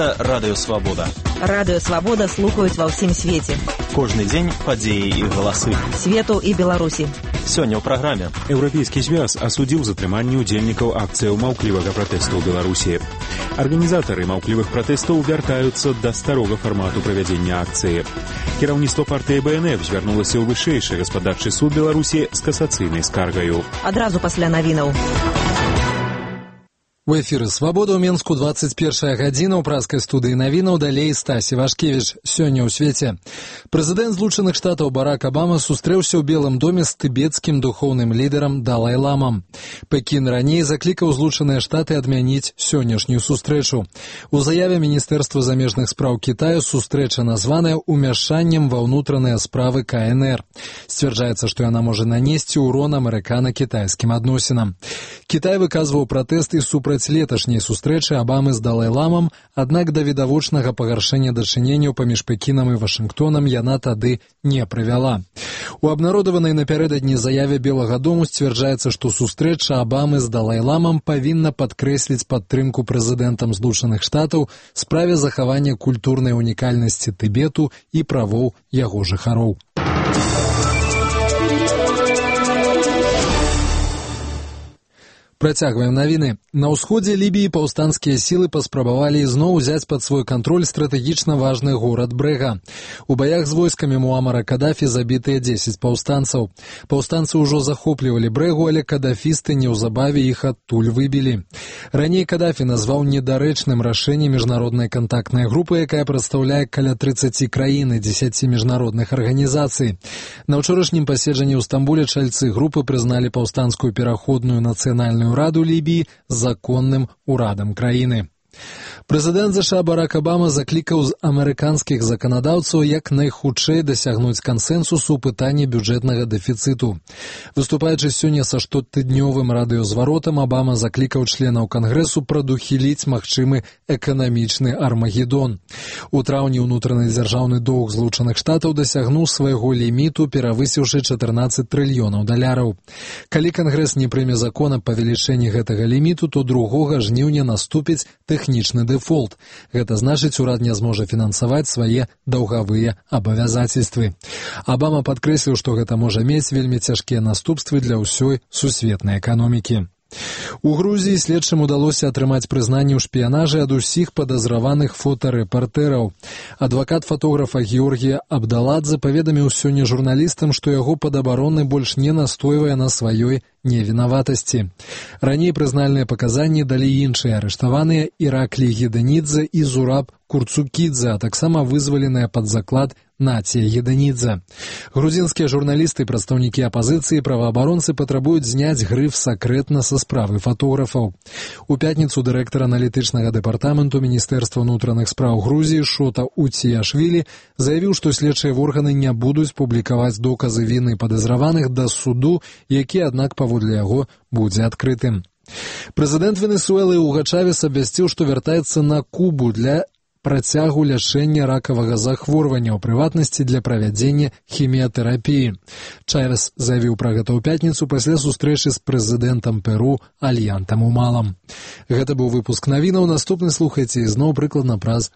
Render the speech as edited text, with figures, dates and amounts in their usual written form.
Гэта Радыё Свабода. Радыё Свабода слухаюць ва ўсім свеце. Кожны дзень падзеі і галасы. Свету і Беларусі. Сёння ў праграме. Еўрапейскі звяз асудзіў затрыманне ўдзельнікаў акцыяў маўклівага пратэсту ў Беларусі. Арганізатары маўклівых пратэстаў вяртаюцца да старога фармату правядзення акцыі. Кіраўніцтва партыі БНФ звярнулася ў вышэйшы гаспадарчы суд Беларусі з касацыйнай скаргаю. Адразу пасля навінаў. У эфіры «Свабода» ў Менску 21 гадзіна ў праскай студыі навінаў, далей Стасі Вашкевіч. Сёння ў свеце. Прэзідэнт Злучаных Штатаў Барак Абама сустрэўся ў Белым доме з тыбецкім духоўным лідарам Далай-ламам. Пекін раней заклікаў Злучаныя Штаты адмяніць сённяшнюю сустрэчу. У заяве Міністэрства замежных спраў Кітаю сустрэча названая ўмяшаннем ва ўнутраныя справы КНР. Сцвярджаецца, што яна можа нанесці ўрон амерыкана-кітайскім адносінам. Кітай выказваў пратэсты супраць леташняй сустрэчы Абамы з Далай-ламам, аднак да відавочнага пагаршэння дачыненняў паміж Пекінам і Вашынгтонам яна тады не прывяла. У абнародаванай напярэдадні заяве Белага дому сцвярджаецца, што сустрэча Абамы з Далай-ламам павінна падкрэсліць падтрымку прэзідэнтам Злучаных Штатаў справе захавання культурнай унікальнасці Тыбету і правоў яго жыхароў. Працягваем навіны. На ўсходзе Лібіі паўстанцкія сілы паспрабавалі ізноў узяць пад свой кантроль стратэгічна важны горад Брэга. У баях з войскамі Муамара Кадафі забітыя 10 паўстанцаў. Паўстанцы ўжо захоплівалі Брэгу, але кадафісты неўзабаве іх адтуль выбілі. Раней Кадафі назваў недарэчным рашэнне міжнароднай кантактнай групы, якая прадстаўляе каля 30 краін і 10 міжнародных арганізацый. На ўчорашнім паседжанні ў Стамбуле чальцы групы прызналі паўстанцкую пераходную нацыянальную Раду Лібіі законным урадам краіны. Прэзідэнт ЗША Барак Абама заклікаў з амерыканскіх заканадаўцаў як найхутчэй дасягнуць кансэнсусу ў пытанні бюджэтнага дэфіцыту. Выступаючы сёння са штотыднёвым радыёзваротам, Абама заклікаў членаў Кангрэсу прадухіліць магчымы эканамічны армагеддон. У траўні ўнутраны дзяржаўны доўг Злучаных Штатаў дасягнуў свайго ліміту, перавысіўшы 14 трыльёнаў даляраў. Калі Кангрэс не прыме закон аб павелічэнні гэтага ліміту, то 2 жніўня наступіць тэхнічны дэфолт. Гэта значыць, урад не зможа фінансаваць свае даўгавыя абавязацельствы. Абама падкрэсліў, што гэта можа мець вельмі цяжкія наступствы для ўсёй сусветнай эканомікі. У Грузіі следчым удалося атрымаць прызнанне ў шпіянажы ад усіх падазраваных фотарэпартэраў. Адвакат фотографа Георгія Абдаладзе паведаміў сёння журналістам, што яго падабароны больш не настойвае на сваёй невінаватасці. Раней прызнальныя паказанні далі іншыя арыштаваныя Іраклі Геданідзе і Зураб Курцукідзе, а таксама вызваленыя пад заклад Нація Геданідзе. Грузінскія журналісты і прадстаўнікі апазіцыі праваабаронцы патрабуюць зняць грыф «сакрэтна» са справы фотографаў. У пятніцу дырэктар аналітычнага дэпартаменту Міністэрства ўнутраных спраў Грузіі Шота Уціяшвілі заявіў, што следчыя органы не будуць публікаваць доказы віны падазраваных да суду, які, аднак, паводле яго будзе адкрытым. Прэзідэнт Венесуэлы Уга Чавес абвясціў, што вяртаецца на Кубу для працягу лячэння ракавага захворвання, у прыватнасці для правядзення хіміятэрапіі. Чавес заявіў пра гэта ў пятніцу пасля сустрэчы з прэзідэнтам Перу Альянтам Умалам. Гэта быў выпуск навінаў. Наступны слухайце ізноў прыкладна праз